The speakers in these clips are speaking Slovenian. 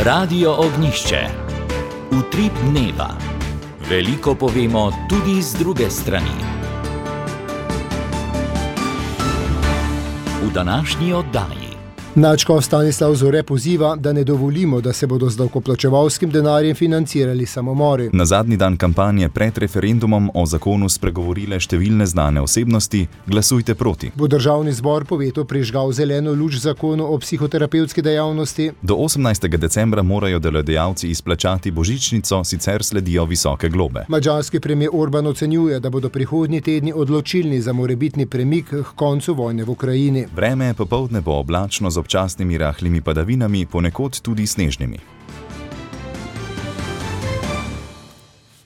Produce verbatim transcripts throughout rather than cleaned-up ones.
Radio Ognjišče. Utrip dneva. Veliko povemo tudi z druge strani. V današnji oddaji. Nadškof Stanislav Zore poziva, da ne dovolimo, da se bodo z davkoplačevalskim denarjem financirali samomori. Na zadnji dan kampanje pred referendumom o zakonu spregovorile številne znane osebnosti. Glasujte proti. Bo državni zbor po vetu prižgal zeleno luč zakonu o psihoterapevtski dejavnosti? Do osemnajstega decembra morajo delodajalci izplačati božičnico, sicer sledijo visoke globe. Madžarski premier Orban ocenjuje, da bodo prihodnji tedni odločilni za morebitni premik k koncu vojne v Ukrajini. Vreme popoldne bo oblačno z občasnimi rahlimi padavinami, ponekod tudi snežnimi.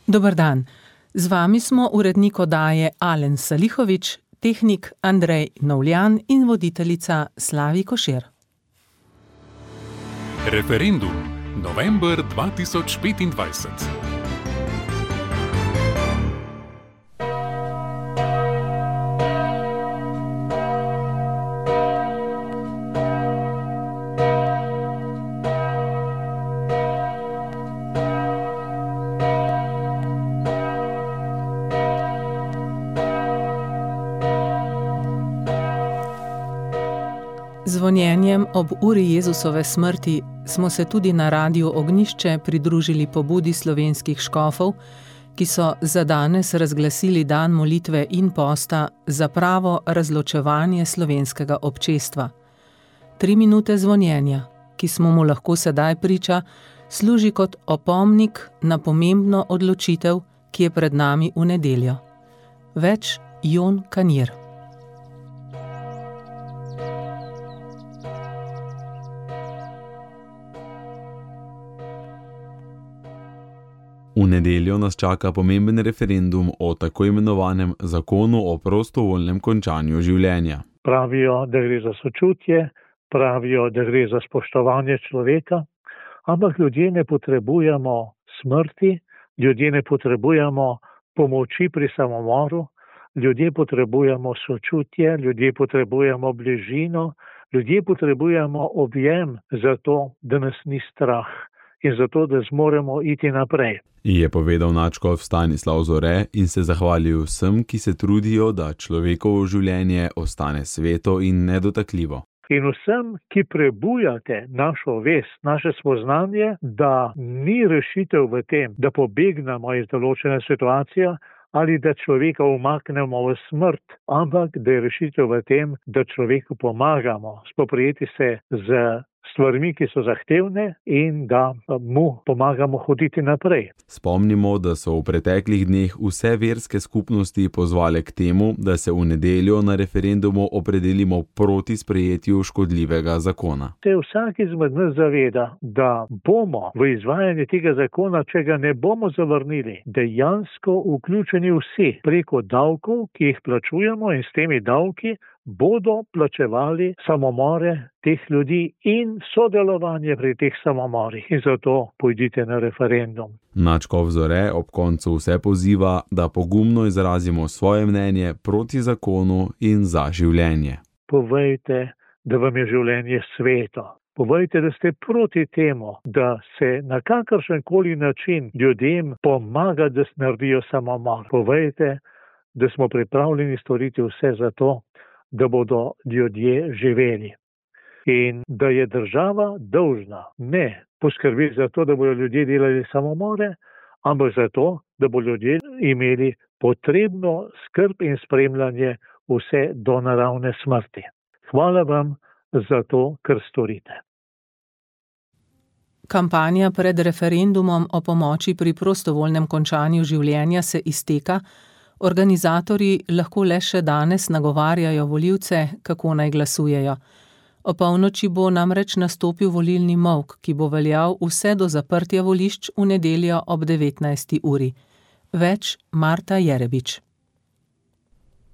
Dober dan. Z vami smo urednik oddaje Alen Salihovič, tehnik Andrej Novljan in voditeljica Slavi Košir. Referendum. November dva tisoč petindvajset. Zvonjenjem ob uri Jezusove smrti smo se tudi na Radiu Ognjišče pridružili pobudi slovenskih škofov, ki so za danes razglasili dan molitve in posta za pravo razločevanje slovenskega občestva. Tri minute zvonjenja, ki smo mu lahko sedaj priča, služi kot opomnik na pomembno odločitev, ki je pred nami v nedeljo. Več Jon Kanjer. V nedeljo nas čaka pomemben referendum o tako imenovanem zakonu o prostovoljnem končanju življenja. Pravijo, da gre za sočutje, pravijo, da gre za spoštovanje človeka, ampak ljudje ne potrebujemo smrti, ljudje ne potrebujemo pomoči pri samomoru, ljudje potrebujemo sočutje, ljudje potrebujemo bližino, ljudje potrebujemo objem za to, da nas ni strah in zato, da zmoremo iti naprej. Je povedal nadškof Stanislav Zore in se zahvalil vsem, ki se trudijo, da človekovo življenje ostane sveto in nedotakljivo. In vsem, ki prebujate našo vest, naše spoznanje, da ni rešitev v tem, da pobegnemo iz določene situacije ali da človeka umaknemo v smrt, ampak da je rešitev v tem, da človeku pomagamo spoprijeti se z stvarmi, ki so zahtevne in da mu pomagamo hoditi naprej. Spomnimo, da so v preteklih dneh vse verske skupnosti pozvale k temu, da se v nedeljo na referendumu opredelimo proti sprejetju škodljivega zakona. Se vsak izmed nas zaveda, da bomo v izvajanje tega zakona, če ga ne bomo zavrnili, dejansko vključeni vsi preko davkov, ki jih plačujemo, in s temi davki bodo plačevali samomore teh ljudi in sodelovanje pri teh samomorih. In zato pojdite na referendum. Nadškof Zore ob koncu vse poziva, da pogumno izrazimo svoje mnenje proti zakonu in za življenje. Povejte, da vam je življenje sveto. Povejte, da ste proti temu, da se na kakršen koli način ljudem pomaga, da naredijo samomor. Povejte, da smo pripravljeni storiti vse za to, da bodo ljudje živeli. In da je država dolžna ne poskrbeti za to, da bodo ljudje delali samomore, ampak za to, da bodo ljudje imeli potrebno skrb in spremljanje vse do naravne smrti. Hvala vam za to, kar storite. Kampanja pred referendumom o pomoči pri prostovoljnem končanju življenja se izteka. Organizatorji lahko le še danes nagovarjajo volivce, kako naj glasujejo. O polnoči bo namreč nastopil volilni molk, ki bo veljal vse do zaprtja volišč v nedeljo ob devetnajsti uri. Več Marta Jerebič.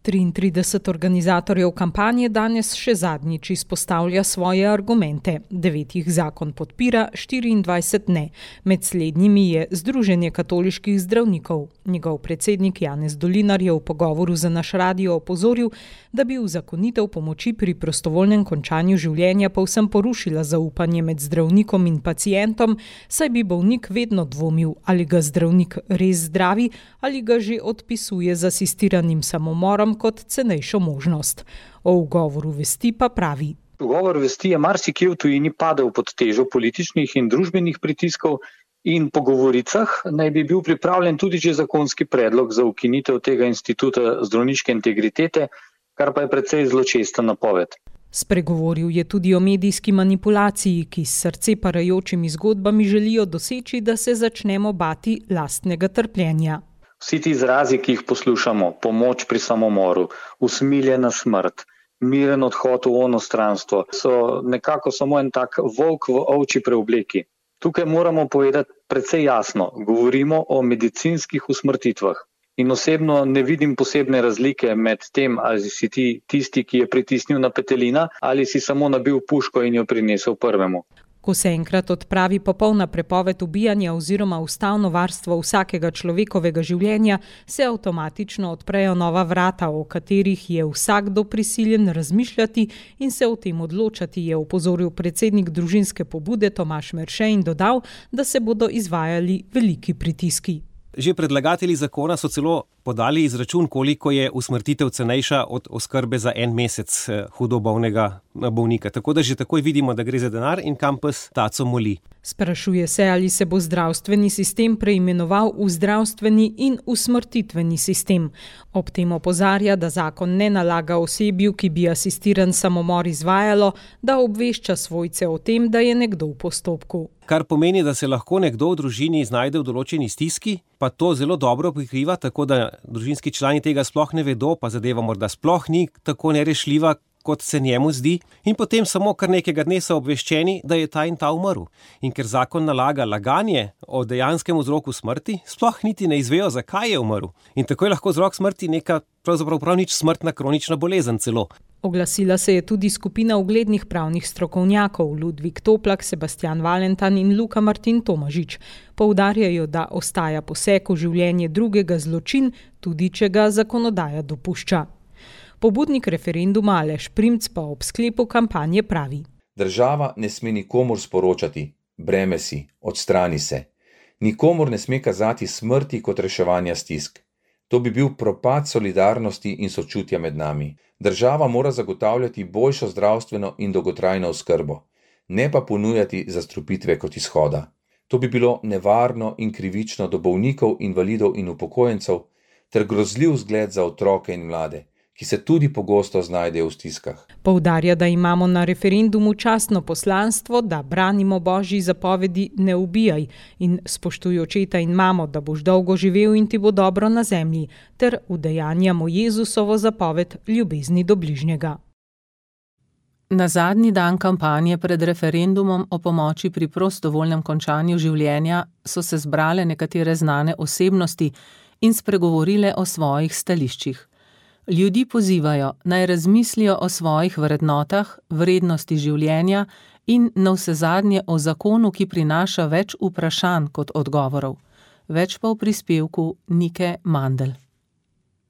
triintrideset organizatorjev kampanje danes še zadnjič izpostavlja svoje argumente. Devet jih zakon podpira, štiriindvajset ne. Med slednjimi je Združenje katoliških zdravnikov. Njegov predsednik Janez Dolinar je v pogovoru za naš radio opozoril, da bi uzakonitev pomoči pri prostovoljnem končanju življenja povsem porušila zaupanje med zdravnikom in pacientom, saj bi bolnik vedno dvomil, ali ga zdravnik res zdravi ali ga že odpisuje z asistiranim samomorom kot cenejšo možnost. O ugovoru vesti pa pravi. Ugovor vesti je marsikje v tujini padel pod težo političnih in družbenih pritiskov in po govoricah naj bi bil pripravljen tudi že zakonski predlog za ukinitev tega instituta zdravniške integritete, kar pa je precej zločesta napoved. Spregovoril je tudi o medijski manipulaciji, ki s srce parajočimi zgodbami želijo doseči, da se začnemo bati lastnega trpljenja. Vsi ti izrazi, ki jih poslušamo, pomoč pri samomoru, usmiljena smrt, miren odhod v onostranstvo, so nekako samo en tak volk v ovči preobleki. Tukaj moramo povedati precej jasno, govorimo o medicinskih usmrtitvah. In osebno ne vidim posebne razlike med tem, ali si ti tisti, ki je pritisnil na petelina, ali si samo nabil puško in jo prinesel prvemu. Ko se enkrat odpravi popolna prepoved ubijanja oziroma ustavno varstvo vsakega človekovega življenja, se avtomatično odprejo nova vrata, o katerih je vsakdo prisiljen razmišljati in se o tem odločati, je opozoril predsednik družinske pobude Tomaž Merše in dodal, da se bodo izvajali veliki pritiski. Že predlagatelji zakona so celo podali izračun, koliko je usmrtitev cenejša od oskrbe za en mesec hudo bolnega bolnika. Tako da že takoj vidimo, da gre za denar in kam pes taco moli. Sprašuje se, ali se bo zdravstveni sistem preimenoval v zdravstveni in usmrtitveni sistem. Ob tem opozarja, da zakon ne nalaga osebju, ki bi asistiran samomor izvajalo, da obvešča svojce o tem, da je nekdo v postopku. Kar pomeni, da se lahko nekdo v družini znajde v določeni stiski, pa to zelo dobro prikriva, tako da družinski člani tega sploh ne vedo, pa zadeva morda sploh ni tako nerešljiva, kot se njemu zdi, in potem samo kar nekega dne so obveščeni, da je ta in ta umrl. In ker zakon nalaga laganje o dejanskem vzroku smrti, sploh niti ne izvejo, zakaj je umrl. In tako je lahko vzrok smrti neka pravzaprav prav nič smrtna kronična bolezen celo. Oglasila se je tudi skupina uglednih pravnih strokovnjakov Ludvik Toplak, Sebastian Valentan in Luka Martin Tomažič. Poudarjajo, da ostaja poseg v življenje drugega zločin, tudi če ga zakonodaja dopušča. Pobudnik referenduma Aleš Primc pa ob sklepu kampanje pravi. Država ne sme nikomur sporočati, breme si, odstrani se. Nikomur ne sme kazati smrti kot reševanja stisk. To bi bil propad solidarnosti in sočutja med nami. Država mora zagotavljati boljšo zdravstveno in dolgotrajno oskrbo, ne pa ponujati zastrupitve kot izhoda. To bi bilo nevarno in krivično do bolnikov, invalidov in upokojencev ter grozljiv zgled za otroke in mlade, ki se tudi pogosto znajdejo v stiskah. Poudarja, da imamo na referendumu častno poslanstvo, da branimo Božji zapovedi ne ubijaj in spoštuj očeta in mamo, da boš dolgo živel in ti bo dobro na zemlji, ter udejanjamo Jezusovo zapoved ljubezni do bližnjega. Na zadnji dan kampanje pred referendumom o pomoči pri prostovoljnem končanju življenja so se zbrale nekatere znane osebnosti in spregovorile o svojih stališčih. Ljudi pozivajo, naj razmislijo o svojih vrednotah, vrednosti življenja in navsezadnje o zakonu, ki prinaša več vprašanj kot odgovorov. Več pa v prispevku Nike Mandl.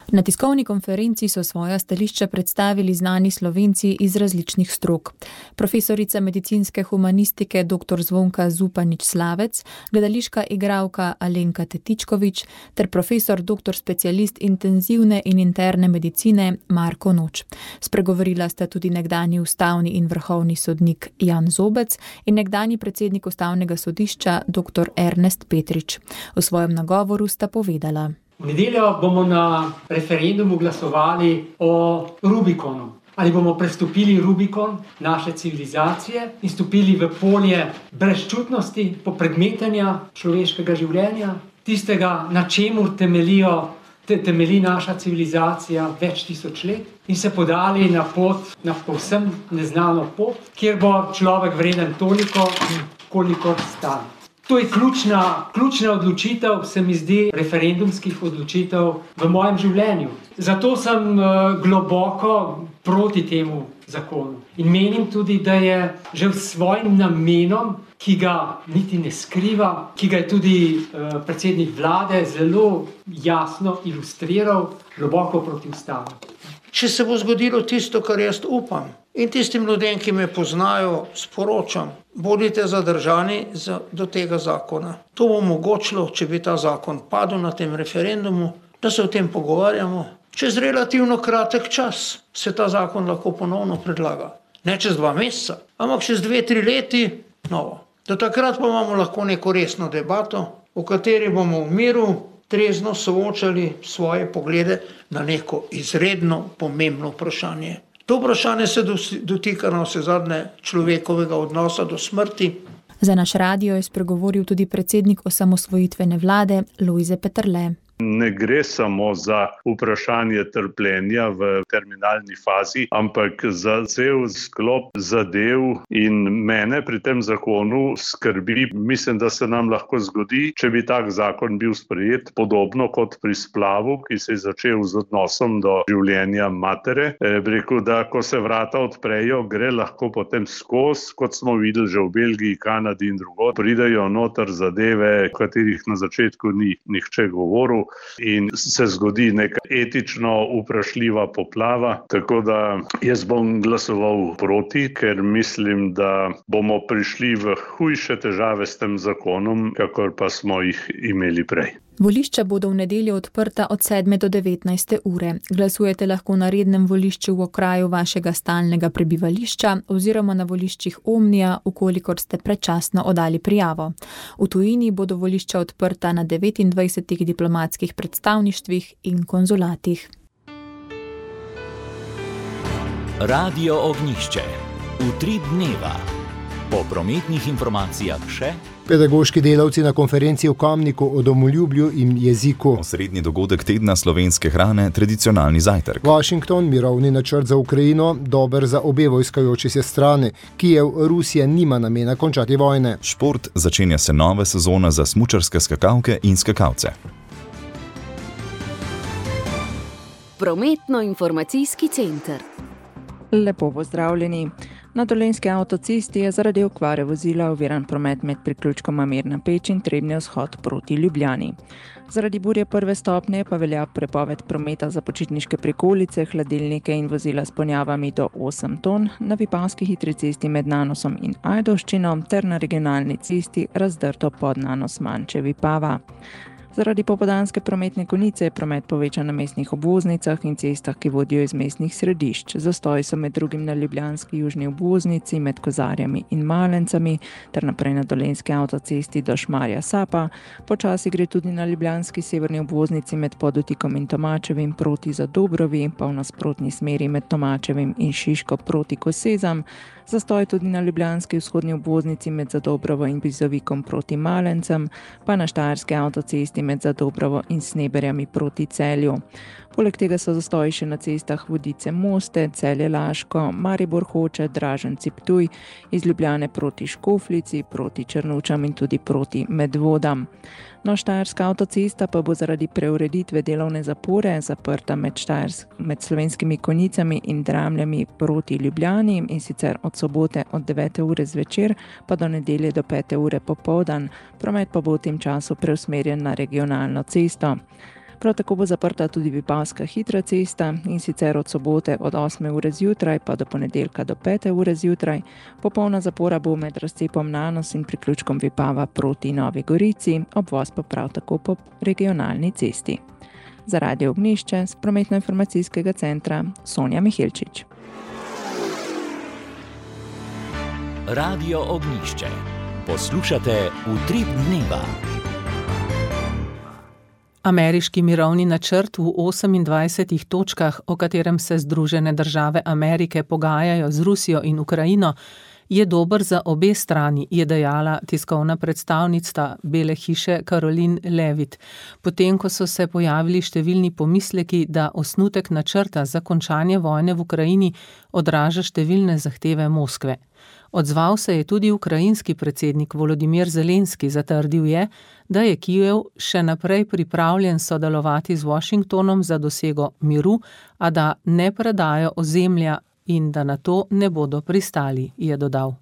Na tiskovni konferenci so svoja stališča predstavili znani Slovenci iz različnih strok. Profesorica medicinske humanistike dr. Zvonka Zupanič-Slavec, gledališka igralka Alenka Tetičkovič ter profesor doktor specialist intenzivne in interne medicine Marko Noč. Spregovorila sta tudi nekdanji ustavni in vrhovni sodnik Jan Zobec in nekdanji predsednik ustavnega sodišča dr. Ernest Petrič. V svojem nagovoru sta povedala. V nedeljo bomo na referendumu glasovali o Rubikonu. Ali bomo prestopili Rubikon naše civilizacije in stopili v polje brezčutnosti, popredmetenja človeškega življenja, tistega, na čemur temelijo, te, temelji naša civilizacija več tisoč let, in se podali na pot, na povsem neznano pot, kjer bo človek vreden toliko, kolikor stane. To je ključna, ključna odločitev, se mi zdi, referendumskih odločitev v mojem življenju. Zato sem globoko proti temu zakonu. In menim tudi, da je že s svojim namenom, ki ga niti ne skriva, ki ga je tudi uh, predsednik vlade zelo jasno ilustriral, globoko protiustaven. Če se bo zgodilo tisto, kar jaz upam, in tistim ljudem, ki me poznajo, sporočam, bodite zadržani za, do tega zakona. To bo omogočilo, če bi ta zakon padel na tem referendumu, da se o tem pogovarjamo. Čez relativno kratek čas se ta zakon lahko ponovno predlaga. Ne čez dva meseca, ampak čez dve, tri leti novo. Do takrat pa imamo lahko neko resno debato, v kateri bomo v miru trezno soočali svoje poglede na neko izredno pomembno vprašanje. To vprašanje se dotika na vse zadnje človekovega odnosa do smrti. Za naš radio je spregovoril tudi predsednik osamosvojitvene vlade Lojze Peterle. Ne gre samo za vprašanje trpljenja v terminalni fazi, ampak za cel sklop zadev in mene pri tem zakonu skrbi. Mislim, da se nam lahko zgodi, če bi tak zakon bil sprejet, podobno kot pri splavu, ki se je začel z odnosom do življenja matere. E, rekel, da ko se vrata odprejo, gre lahko potem skozi, kot smo videli že v Belgiji, Kanadi in drugod, pridejo noter zadeve, o katerih na začetku ni nihče govoril. In se zgodi neka etično vprašljiva poplava, tako da jaz bom glasoval proti, ker mislim, da bomo prišli v hujše težave s tem zakonom, kakor pa smo jih imeli prej. Volišča bodo v nedeljo odprta od sedme do devetnajste ure. Glasujete lahko na rednem volišču v okraju vašega stalnega prebivališča oziroma na voliščih Omnija, ukolikor ste predčasno oddali prijavo. V tujini bodo volišča odprta na devetindvajsetih diplomatskih predstavništvih in konzulatih. Radio Ognjišče. Utrip dneva. Po prometnih informacijah še pedagoški delavci na konferenci v Kamniku o domoljubju in jeziku. Osrednji dogodek tedna slovenske hrane, tradicionalni zajtrk. Washington, mirovni načrt za Ukrajino, dober za obe vojskajoči se strani. Kijev, Rusija nima namena končati vojne. Šport, začenja se nova sezona za smučarske skakalke in skakalce. Prometno-informacijski center. Lepo pozdravljeni. Na Dolenjski avtocesti je zaradi okvare vozila oviran promet med priključkoma Mirna Peč in Trebnji vzhod proti Ljubljani. Zaradi burje prve stopnje pa velja prepoved prometa za počitniške prikolice, hladilnike in vozila s ponjavami do osem ton na Vipavski hitri cesti med Nanosom in Ajdovščino ter na regionalni cesti razdrto pod Nanos Manče Vipava. Zaradi popoldanske prometne konice je promet povečan na mestnih obvoznicah in cestah, ki vodijo iz mestnih središč. Zastoji so med drugim na ljubljanski južni obvoznici med Kozarjami in Malencami ter naprej na Dolenjski avtocesti do Šmarja Sapa. Počasi gre tudi na ljubljanski severni obvoznici med Podutikom in Tomačevim proti Zadobrovi, pa v nasprotni smeri med Tomačevim in Šiško proti Kosezam. Zastoj tudi na ljubljanski vzhodni obvoznici med Zadobrovo in Bizovikom proti Malencem, pa na štajerski avtocesti med Zadobrovo in Sneberjami proti Celju. Poleg tega so zastoji še na cestah Vodice Moste, Celje Laško, Maribor Hoče, Draženci Ptuj, iz Ljubljane proti Škoflici, proti Črnučam in tudi proti Medvodam. No, štajerska avtocesta pa bo zaradi preureditve delovne zapore zaprta med, med Slovenskimi Konjicami in Dramljami proti Ljubljani in sicer od sobote od devete ure zvečer pa do nedelje do pete ure popoldan. Promet pa bo v tem času preusmerjen na regionalno cesto. Prav tako bo zaprta tudi Vipavska hitra cesta in sicer od sobote od osme ure zjutraj pa do ponedeljka do pete ure zjutraj. Popolna zapora bo med razcepom Nanos in priključkom Vipava proti Novi Gorici, obvoz pa prav tako po regionalni cesti. Za Radio Ognjišče z prometno-informacijskega centra Sonja Mihilčič. Radio Ognjišče. Poslušate Utrip dneva. Ameriški mirovni načrt v osemindvajsetih točkah, o katerem se Združene države Amerike pogajajo z Rusijo in Ukrajino, je dober za obe strani, je dejala tiskovna predstavnica Bele hiše Caroline Levitt, potem ko so se pojavili številni pomisleki, da osnutek načrta za končanje vojne v Ukrajini odraža številne zahteve Moskve. Odzval se je tudi ukrajinski predsednik Volodimir Zelenski, zatrdil je, da je Kijev še naprej pripravljen sodelovati z Washingtonom za dosego miru, a da ne predajo ozemlja in da na to ne bodo pristali, je dodal.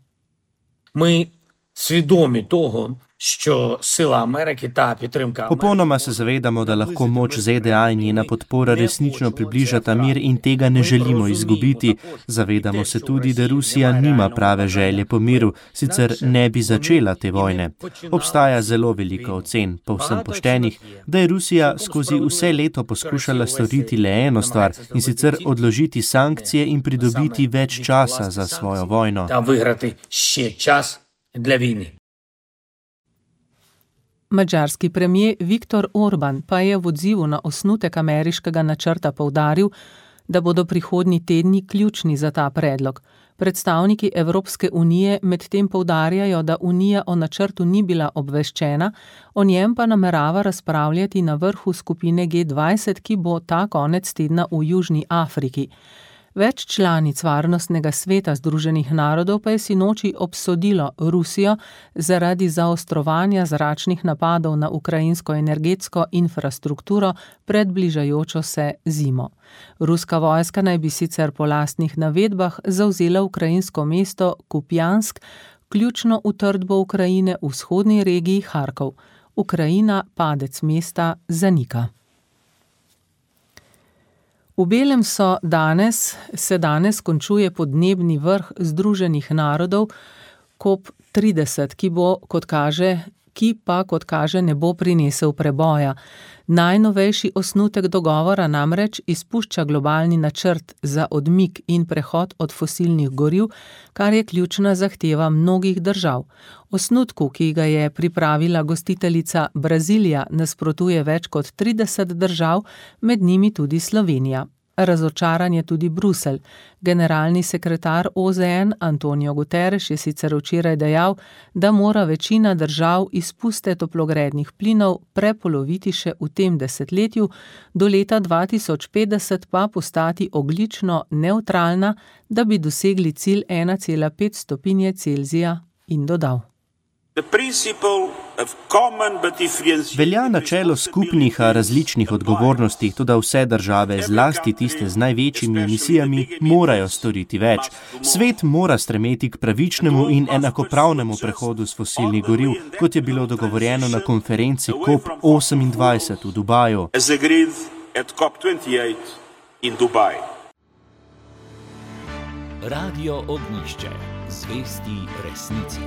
Ми свідомі того, що сила Америки та підтримка Popolnoma se zavedamo, da lahko moč Z D A in njena podpora resnično približata mir in tega ne želimo izgubiti. Zavedamo se tudi, da Rusija nima prave želje po miru, sicer ne bi začela te vojne. Obstaja zelo veliko ocen, povsem poštenih, da je Rusija skozi vse leto poskušala storiti le eno stvar, in sicer odložiti sankcije in pridobiti več časa za svojo vojno. Та виграти ще час для війни. Madžarski premijer Viktor Orban pa je v odzivu na osnutek ameriškega načrta poudaril, da bodo prihodnji tedni ključni za ta predlog. Predstavniki Evropske unije medtem poudarjajo, da Unija o načrtu ni bila obveščena, o njem pa namerava razpravljati na vrhu skupine G dvajset, ki bo ta konec tedna v Južni Afriki. Več članic Varnostnega sveta Združenih narodov pa je sinoči obsodilo Rusijo zaradi zaostrovanja zračnih napadov na ukrajinsko energetsko infrastrukturo pred bližajočo se zimo. Ruska vojska naj bi sicer po lastnih navedbah zavzela ukrajinsko mesto Kupjansk, ključno utrdbo Ukrajine v vzhodni regiji Harkov. Ukrajina padec mesta zanika. V Belem so danes, se danes končuje podnebni vrh Združenih narodov COP trideset, ki bo, kot kaže, ki pa, kot kaže, ne bo prinesel preboja. Najnovejši osnutek dogovora namreč izpušča globalni načrt za odmik in prehod od fosilnih goriv, kar je ključna zahteva mnogih držav. Osnutku, ki ga je pripravila gostiteljica Brazilija, nasprotuje več kot trideset držav, med njimi tudi Slovenija. Razočaran je tudi Bruselj. Generalni sekretar O Z N Antonio Guterres je sicer včeraj dejal, da mora večina držav izpuste toplogrednih plinov prepoloviti še v tem desetletju, do leta dva tisoč petdeset pa postati ogljično nevtralna, da bi dosegli cilj ena cela pet stopinje Celzija, in dodal. Velja načelo skupnih, a različnih odgovornosti, tudi vse države, zlasti tiste z največjimi emisijami, morajo storiti več. Svet mora stremeti k pravičnemu in enakopravnemu prehodu s fosilnih goriv, kot je bilo dogovorjeno na konferenci COP osemindvajset v Dubaju. Radio Ognjišče, zvesti resnici.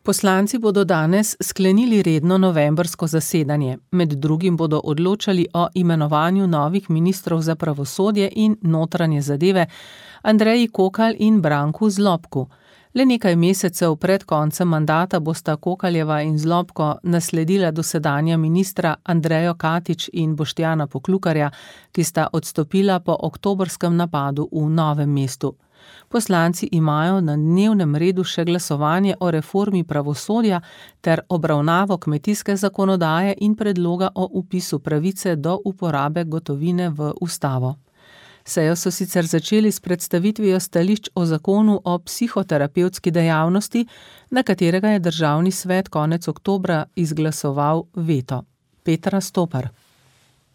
Poslanci bodo danes sklenili redno novembrsko zasedanje. Med drugim bodo odločali o imenovanju novih ministrov za pravosodje in notranje zadeve Andreji Kokalj in Branku Zlobku. Le nekaj mesecev pred koncem mandata bosta Kokaljeva in Zlobko nasledila dosedanja ministra Andrejo Katič in Boštjana Poklukarja, ki sta odstopila po oktobrskem napadu v Novem mestu. Poslanci imajo na dnevnem redu še glasovanje o reformi pravosodja ter obravnavo kmetijske zakonodaje in predloga o vpisu pravice do uporabe gotovine v ustavo. Sejo so sicer začeli s predstavitvijo stališč o zakonu o psihoterapevtski dejavnosti, na katerega je državni svet konec oktobra izglasoval veto. Petra Stopar.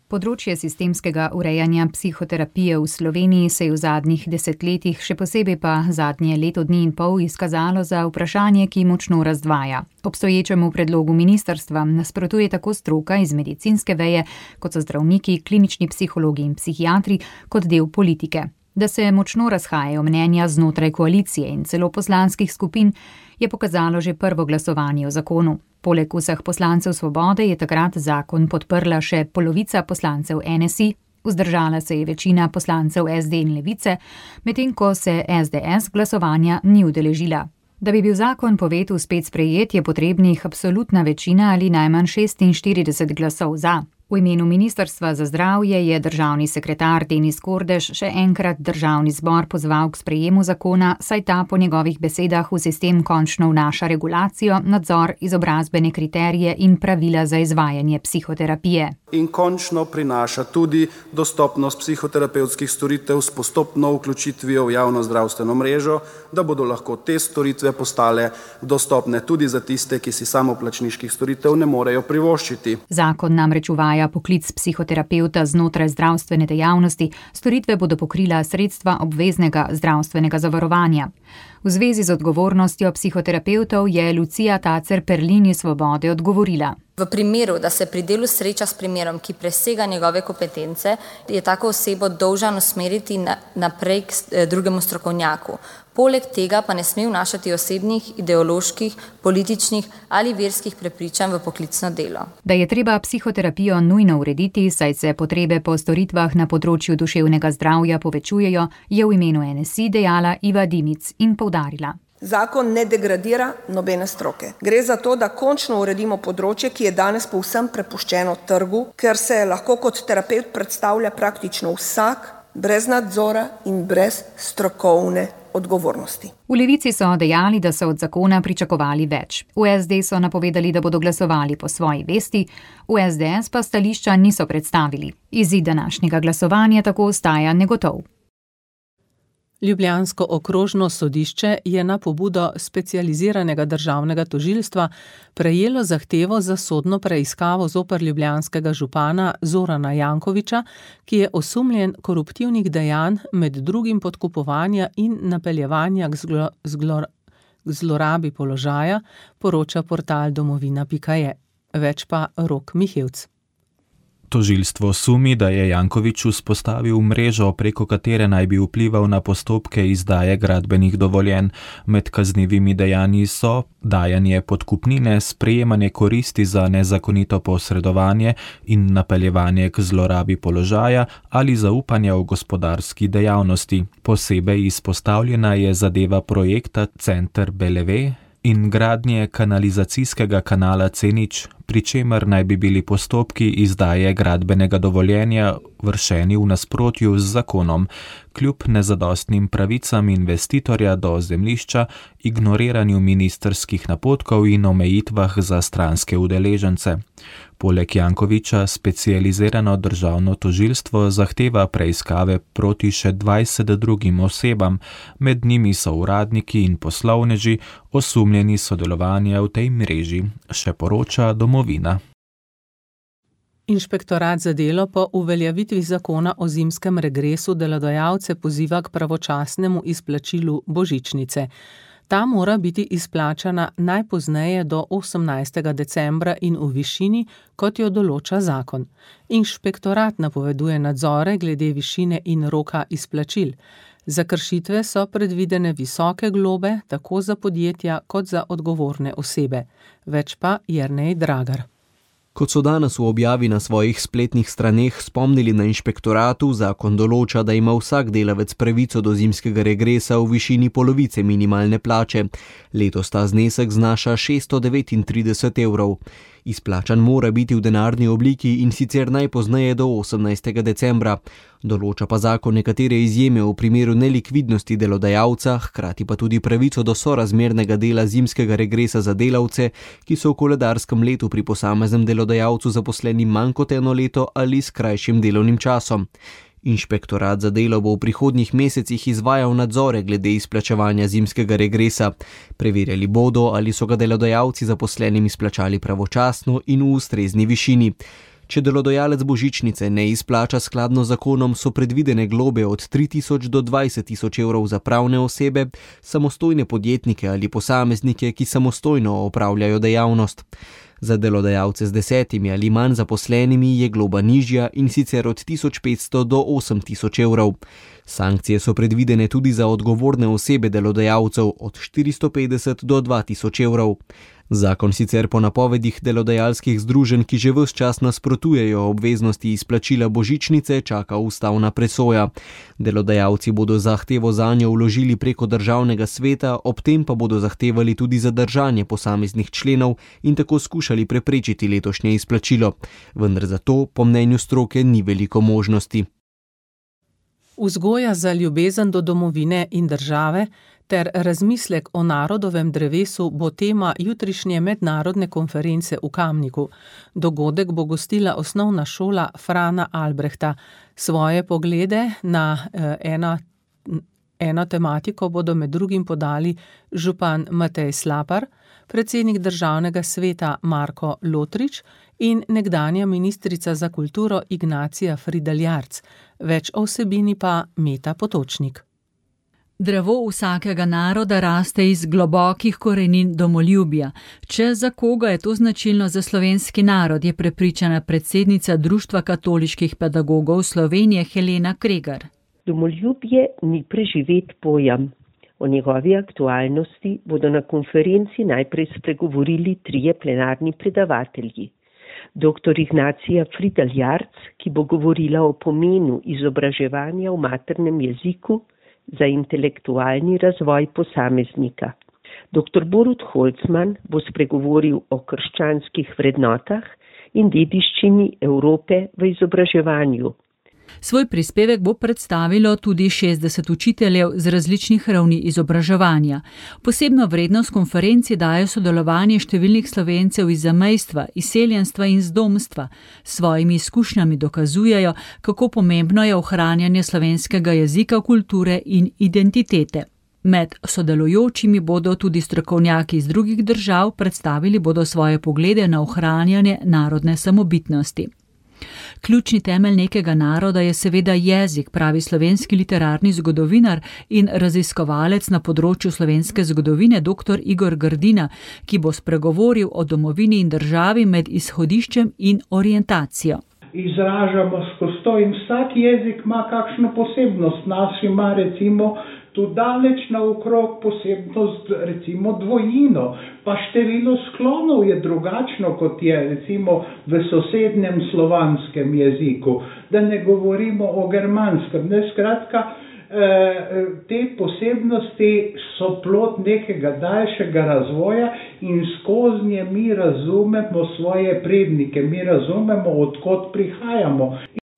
Področje sistemskega urejanja psihoterapije v Sloveniji se je v zadnjih desetletjih, še posebej pa zadnje leto dni in pol, izkazalo za vprašanje, ki močno razdvaja. Obstoječemu predlogu ministrstva nasprotuje tako stroka iz medicinske veje, kot so zdravniki, klinični psihologi in psihiatri, kot del politike. Da se močno razhajajo mnenja znotraj koalicije in celo poslanskih skupin, je pokazalo že prvo glasovanje o zakonu. Poleg vseh poslancev Svobode je takrat zakon podprla še polovica poslancev N S I, vzdržala se je večina poslancev S D in Levice, medtem ko se S D S glasovanja ni udeležila. Da bi bil zakon po vetu spet sprejet, je potrebnih absolutna večina ali najmanj šestinštirideset glasov za. V imenu Ministrstva za zdravje je državni sekretar Denis Kordež še enkrat državni zbor pozval k sprejemu zakona, saj ta po njegovih besedah v sistem končno vnaša regulacijo, nadzor, izobrazbene kriterije in pravila za izvajanje psihoterapije. In končno prinaša tudi dostopnost psihoterapevtskih storitev s postopno vključitvijo v javno zdravstveno mrežo, da bodo lahko te storitve postale dostopne tudi za tiste, ki si samoplačniških storitev ne morejo privoščiti. Zakon namreč uvaja poklic psihoterapevta znotraj zdravstvene dejavnosti, storitve bodo pokrila sredstva obveznega zdravstvenega zavarovanja. V zvezi z odgovornostjo psihoterapevtov je Lucija Tacer-Perlin iz Svobode odgovorila. V primeru, da se pri delu sreča s primerom, ki presega njegove kompetence, je tako osebo dolžan usmeriti naprej k drugemu strokovnjaku. Poleg tega pa ne sme vnašati osebnih, ideoloških, političnih ali verskih prepričanj v poklicno delo. Da je treba psihoterapijo nujno urediti, saj se potrebe po storitvah na področju duševnega zdravja povečujejo, je v imenu N S I dejala Iva Dimic in poudarila. Zakon ne degradira nobene stroke. Gre za to, da končno uredimo področje, ki je danes povsem prepuščeno trgu, ker se lahko kot terapevt predstavlja praktično vsak, brez nadzora in brez strokovne odgovornosti. V Levici so dejali, da so od zakona pričakovali več. V S D so napovedali, da bodo glasovali po svoji vesti, v S D S pa stališča niso predstavili. Izid današnjega glasovanja tako ostaja negotov. Ljubljansko okrožno sodišče je na pobudo specializiranega državnega tožilstva prejelo zahtevo za sodno preiskavo zoper ljubljanskega župana Zorana Jankovića, ki je osumljen koruptivnih dejanj, med drugim podkupovanja in napeljevanja k zglo, zglo, zlorabi položaja, poroča portal domovina pika je. Več pa Rok Mihevc. Tožilstvo sumi, da je Janković vzpostavil mrežo, preko katere naj bi vplival na postopke izdaje gradbenih dovoljenj. Med kaznivimi dejanji so dajanje podkupnine, sprejemanje koristi za nezakonito posredovanje in napeljevanje k zlorabi položaja ali zaupanja v gospodarski dejavnosti. Posebej izpostavljena je zadeva projekta Center Beleve in gradnje kanalizacijskega kanala C nič, pri čemer naj bi bili postopki izdaje gradbenega dovoljenja vršeni v nasprotju z zakonom, kljub nezadostnim pravicam investitorja do zemljišča, ignoriranju ministrskih napotkov in omejitvah za stranske udeležence. Poleg Jankovića specializirano državno tožilstvo zahteva preiskave proti še dvajset drugim osebam, med njimi so uradniki in poslovneži, osumljeni sodelovanja v tej mreži, še poroča Domovina. Inšpektorat za delo po uveljavitvi zakona o zimskem regresu delodajalce poziva k pravočasnemu izplačilu božičnice. Ta mora biti izplačana najpozneje do osemnajstega decembra in v višini, kot jo določa zakon. Inšpektorat napoveduje nadzore glede višine in roka izplačil. Za kršitve so predvidene visoke globe, tako za podjetja kot za odgovorne osebe. Več pa Jernej Dragar. Kot so danes v objavi na svojih spletnih straneh spomnili na inšpektoratu, zakon določa, da ima vsak delavec pravico do zimskega regresa v višini polovice minimalne plače. Letos ta znesek znaša šeststo devetintrideset evrov. Izplačan mora biti v denarni obliki in sicer najpozneje do osemnajstega decembra. Določa pa zakon nekatere izjeme v primeru nelikvidnosti delodajalca, hkrati pa tudi pravico do sorazmernega dela zimskega regresa za delavce, ki so v koledarskem letu pri posameznem delodajalcu zaposleni manj kot eno leto ali s krajšim delovnim časom. Inšpektorat za delo bo v prihodnjih mesecih izvajal nadzore glede izplačevanja zimskega regresa. Preverjali bodo, ali so ga delodajalci zaposlenim izplačali pravočasno in v ustrezni višini. Če delodajalec božičnice ne izplača skladno z zakonom, so predvidene globe od tri tisoč do dvajset tisoč evrov za pravne osebe, samostojne podjetnike ali posameznike, ki samostojno opravljajo dejavnost. Za delodajalce z desetimi ali manj zaposlenimi je globa nižja in sicer od tisoč petsto do osem tisoč evrov. Sankcije so predvidene tudi za odgovorne osebe delodajalcev od štiristo petdeset do dva tisoč evrov. Zakon sicer po napovedih delodajalskih združenj, ki že ves čas nasprotujejo obveznosti izplačila božičnice, čaka ustavna presoja. Delodajalci bodo zahtevo zanjo vložili preko državnega sveta, ob tem pa bodo zahtevali tudi zadržanje posameznih členov in tako skušali preprečiti letošnje izplačilo. Vendar za to, po mnenju stroke, ni veliko možnosti. Vzgoja za ljubezen do domovine in države ter razmislek o narodovem drevesu bo tema jutrišnje mednarodne konference v Kamniku. Dogodek bo gostila osnovna šola Frana Albrehta. Svoje poglede na eh, ena, eno tematiko bodo med drugim podali župan Matej Slapar, predsednik državnega sveta Marko Lotrič in nekdanja ministrica za kulturo Ignacija Fridel Jarc. Več o vsebini pa Meta Potočnik. Drevo vsakega naroda raste iz globokih korenin domoljubja. Če za koga je to značilno za slovenski narod, je prepričana predsednica Društva katoliških pedagogov Slovenije Helena Kregar. Domoljubje ni preživet pojem. O njegovi aktualnosti bodo na konferenci najprej spregovorili trije plenarni predavatelji. Doktor Ignacija Fridel Jarc, ki bo govorila o pomenu izobraževanja v maternem jeziku za intelektualni razvoj posameznika. Doktor Borut Holcman bo spregovoril o krščanskih vrednotah in dediščini Evrope v izobraževanju. Svoj prispevek bo predstavilo tudi šestdeset učiteljev z različnih ravni izobraževanja. Posebno vrednost konferenci daje sodelovanje številnih Slovencev iz zamejstva, izseljenstva in zdomstva. S svojimi izkušnjami dokazujejo, kako pomembno je ohranjanje slovenskega jezika, kulture in identitete. Med sodelujočimi bodo tudi strokovnjaki iz drugih držav, predstavili bodo svoje poglede na ohranjanje narodne samobitnosti. Ključni temelj nekega naroda je seveda jezik, pravi slovenski literarni zgodovinar in raziskovalec na področju slovenske zgodovine dr. Igor Grdina, ki bo spregovoril o domovini in državi med izhodiščem in orientacijo. Izražamo skozi to in vsak jezik ima kakšno posebnost. Naš ima recimo tu daleč naokrog posebnost, recimo dvojino, pa število sklonov je drugačno, kot je recimo v sosednjem slovanskem jeziku, da ne govorimo o germanskem. Ne, skratka, te posebnosti so plod nekega daljšega razvoja in skozi nje mi razumemo svoje prednike, mi razumemo, od kod prihajamo.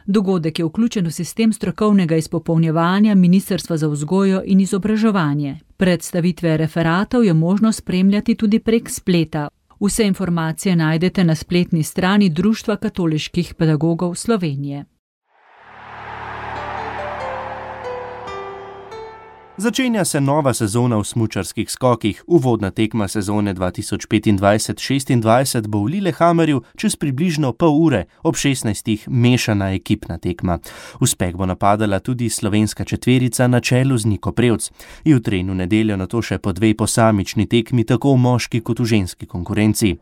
Dogodek je vključen v sistem strokovnega izpopolnjevanja Ministrstva za vzgojo in izobraževanje. Predstavitve referatov je možno spremljati tudi prek spleta. Vse informacije najdete na spletni strani Društva katoliških pedagogov Slovenije. Začenja se nova sezona v smučarskih skokih. Uvodna tekma sezone dva tisoč petindvajset šestindvajset bo v Lillehammerju čez približno pol ure, ob šestnajstih mešana ekipna tekma. Uspeh bo napadala tudi slovenska četverica na čelu z Niko Prevc. Jutri in v nedeljo nato še po dve posamični tekmi, tako v moški kot v ženski konkurenci.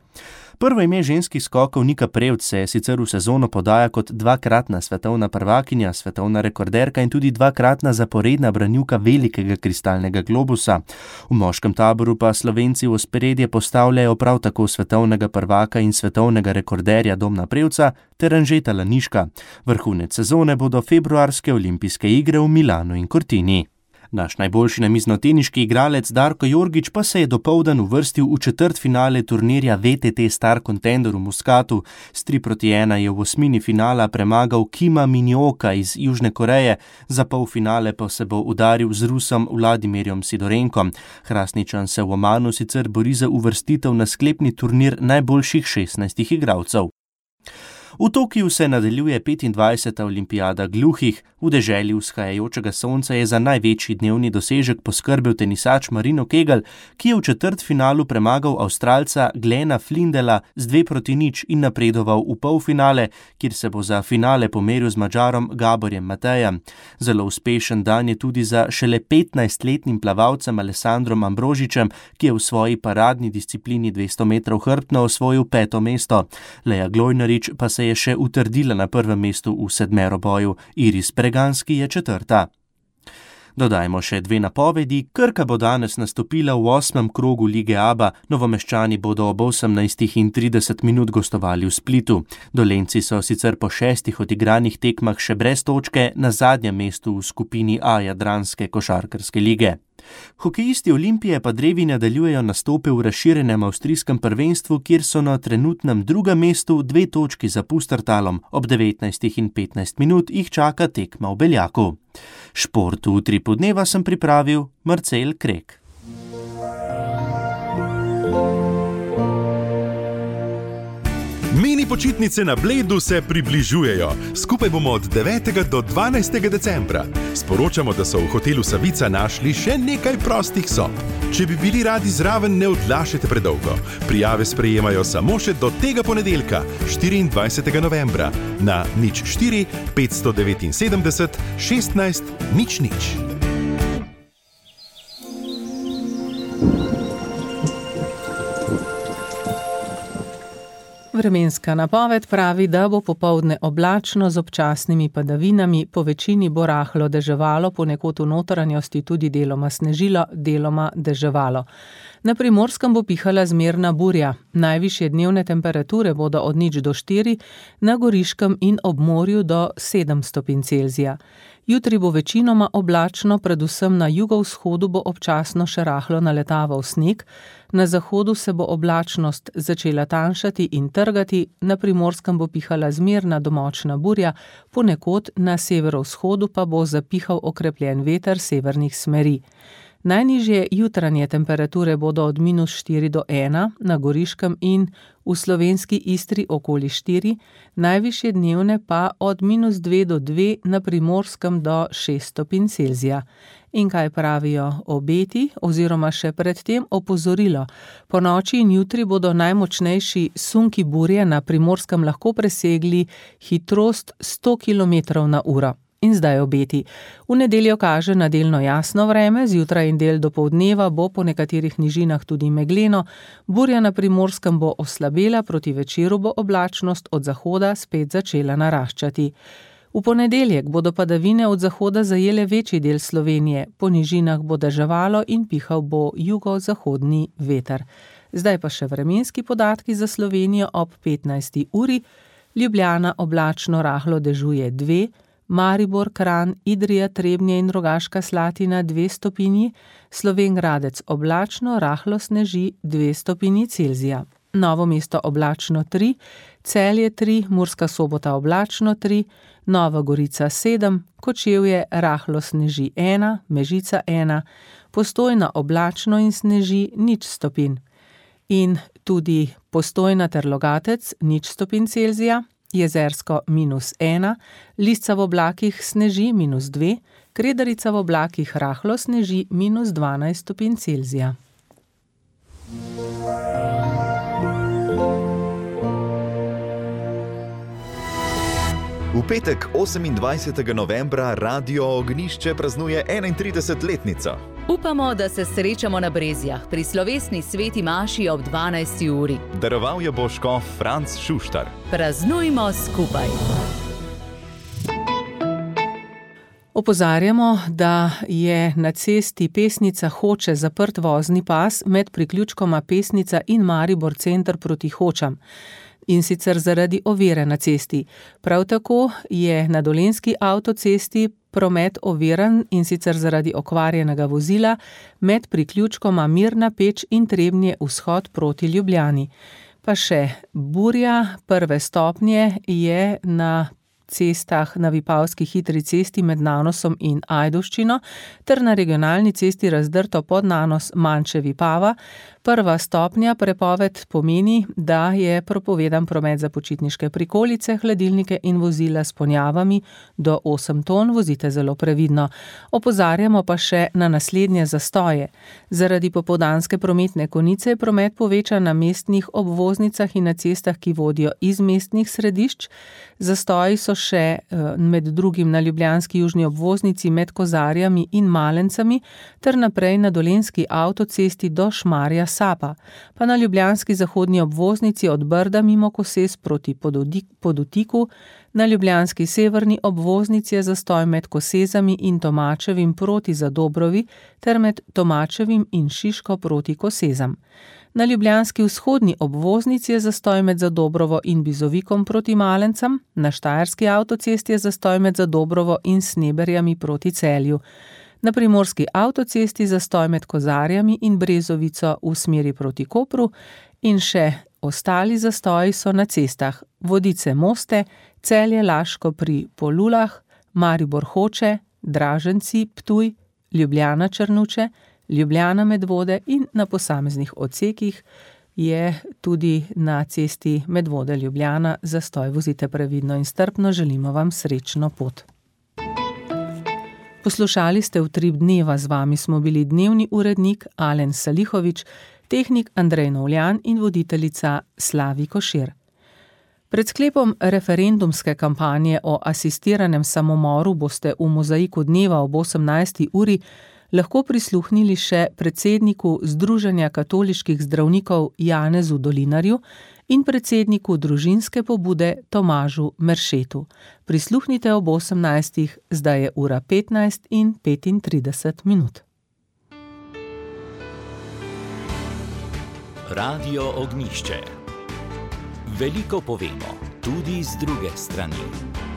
Prvo ime ženskih skokov Nika Prevc se sicer v sezono podaja kot dvakratna svetovna prvakinja, svetovna rekorderka in tudi dvakratna zaporedna branilka velikega kristalnega globusa. V moškem taboru pa Slovenci v ospredje postavljajo prav tako svetovnega prvaka in svetovnega rekorderja Domna Prevca ter Anžeta Laniška. Vrhunec sezone bodo februarske olimpijske igre v Milanu in Cortini. Naš najboljši namiznoteniški igralec Darko Jorgič pa se je dopoldan uvrstil v četrtfinale turnirja V T T Star Contender v Muskatu. S tri proti ena je v osmini finala premagal Kima Minjooka iz Južne Koreje, za polfinale pa se bo udaril z Rusom Vladimirjem Sidorenkom. Hrastničan se v Omanu sicer bori za uvrstitev na sklepni turnir najboljših šestnajstih igralcev. V Tokiu se nadaljuje petindvajseta olimpijada gluhih. V deželi vzhajajočega sonca je za največji dnevni dosežek poskrbel tenisač Marino Kegel, ki je v četrtfinalu premagal Avstralca Glena Flindela z dve proti nič in napredoval v polfinale, kjer se bo za finale pomeril z Madžarom Gaborjem Matejem. Zelo uspešen dan je tudi za šele petnajstletnim plavalcem Alessandrom Ambrožičem, ki je v svoji paradni disciplini dvesto metrov hrbtno osvojil peto mesto. Leja Glojnarič pa se je še utrdila na prvem mestu v sedmeroboju, Iris Preganski je četrta. Dodajmo še dve napovedi. Krka bo danes nastopila v osmem krogu Lige Aba, Novomeščani bodo ob osemnajstih in trideset minut gostovali v Splitu. Dolenjci so sicer po šestih odigranih tekmah še brez točke na zadnjem mestu v skupini A Jadranske košarkarske lige. Hokejisti Olimpije pa drevi nadaljujejo nastope v razširjenem avstrijskem prvenstvu, kjer so na trenutnem drugem mestu dve točki za Pustertalom. Ob devetnajstih in petnajst minut jih čaka tekma v Beljaku. Šport v Utripu dneva sem pripravil Marcel Krek. Mini počitnice na Bledu se približujejo. Skupaj bomo od devetega do dvanajstega decembra. Sporočamo, da so v hotelu Savica našli še nekaj prostih sob. Če bi bili radi zraven, ne odlašajte predolgo. Prijave sprejemajo samo še do tega ponedeljka, štiriindvajsetega novembra, na nič štiri petsto devetinsedemdeset šestnajst nič nič. Vremenska napoved pravi, da bo popoldne oblačno z občasnimi padavinami, po večini bo rahlo deževalo, ponekod v notranjosti tudi deloma snežilo, deloma deževalo. Na Primorskem bo pihala zmerna burja. Najvišje dnevne temperature bodo od nič do štiri, na Goriškem in ob morju do sedem stopinj Celzija. Jutri bo večinoma oblačno, predvsem na jugovzhodu bo občasno še rahlo naletaval sneg, na zahodu se bo oblačnost začela tanjšati in trgati, na Primorskem bo pihala zmerna do močna burja, ponekod na severovzhodu pa bo zapihal okrepljen veter severnih smeri. Najnižje jutranje temperature bodo od minus štiri do ena, na Goriškem in v slovenski Istri okoli štiri, najvišje dnevne pa od minus dve do dve, na Primorskem do šest stopinj Celzija. In kaj pravijo obeti oziroma še predtem opozorilo? Po noči in jutri bodo najmočnejši sunki burje na Primorskem lahko presegli hitrost sto kilometrov na uro. In zdaj obeti. V nedeljo kaže na delno jasno vreme, zjutraj in del dopoldneva bo po nekaterih nižinah tudi megleno, burja na Primorskem bo oslabela, proti večeru bo oblačnost od zahoda spet začela naraščati. V ponedeljek bodo padavine od zahoda zajele večji del Slovenije, po nižinah bo deževalo in pihal bo jugozahodni veter. Zdaj pa še vremenski podatki za Slovenijo ob petnajsti uri. Ljubljana oblačno rahlo dežuje dve, Maribor, Kranj, Idrija, Trebnje in Rogaška Slatina dve stopinji, Slovenj Gradec oblačno, rahlo sneži dve stopinji Celzija. Novo mesto oblačno tri, Celje tri, Murska Sobota oblačno tri, Nova Gorica sedem, Kočevje rahlo sneži ena, Mežica ena, Postojna oblačno in sneži nič stopinj. In tudi Postojna ter Logatec nič stopinj Celzija, Jezersko minus ena, Lisca v oblakih sneži minus dve, Kredarica v oblakih rahlo sneži minus dvanajst stopinj Celzija. V petek osemindvajsetega novembra Radio Ognišče praznuje enaintridesetletnico. Upamo, da se srečamo na Brezjah pri slovesni sveti maši ob dvanajsti uri. Daroval jo bo škof Franc Šuštar. Praznujmo skupaj. Opozarjamo, da je na cesti Pesnica Hoče zaprt vozni pas med priključkoma Pesnica in Maribor center proti Hočam. In sicer zaradi ovire na cesti. Prav tako je na Dolenjski avtocesti promet oviran in sicer zaradi okvarjenega vozila med priključkoma Mirna Peč in Trebnje vzhod proti Ljubljani. Pa še burja prve stopnje je na cestah na Vipavski hitri cesti med Nanosom in Ajdovščino ter na regionalni cesti razdrto pod Nanos Manče Vipava. Prva stopnja prepoved pomeni, da je prepovedan promet za počitniške prikolice, hladilnike in vozila s ponjavami do osem ton, vozite zelo previdno. Opozarjamo pa še na naslednje zastoje. Zaradi popoldanske prometne konice je promet povečan na mestnih obvoznicah in na cestah, ki vodijo iz mestnih središč. Zastoji so še med drugim na ljubljanski južni obvoznici med Kozarjami in Malencami ter naprej na Dolenjski avtocesti do Šmarja Sapa, pa na ljubljanski zahodni obvoznici od Brda mimo Koses proti Podutiku, Na ljubljanski severni obvoznici je zastoj med Kosezami in Tomačevim proti Zadobrovi ter med Tomačevim in Šiško proti Kosezam. Na ljubljanski vzhodni obvoznici je zastoj med Zadobrovo in Bizovikom proti Malencam, na štajerski avtocesti je zastoj med Zadobrovo in Sneberjami proti Celju. Na primorski avtocesti zastoj med Kozarjami in Brezovico v smeri proti Kopru in še ostali zastoji so na cestah Vodice-Moste, Celje-Laško pri Polulah, Maribor-Hoče, Draženci-Ptuj, Ljubljana-Črnuče, Ljubljana-Medvode in na posameznih odsekih je tudi na cesti Medvode-Ljubljana zastoj. Vozite previdno in strpno, želimo vam srečno pot. Poslušali ste Utrip dneva, z vami smo bili dnevni urednik Alen Salihovič, tehnik Andrej Novljan in voditeljica Slavi Košir. Pred sklepom referendumske kampanje o asistiranem samomoru boste v Mozaiku dneva ob osemnajsti uri lahko prisluhnili še predsedniku Združenja katoliških zdravnikov Janezu Dolinarju in predsedniku družinske pobude Tomažu Meršetu. Prisluhnite ob osemnajstih, zdaj je ura petnajst in petintrideset minut. Radio Ognjišče. Veliko povemo, tudi z druge strani.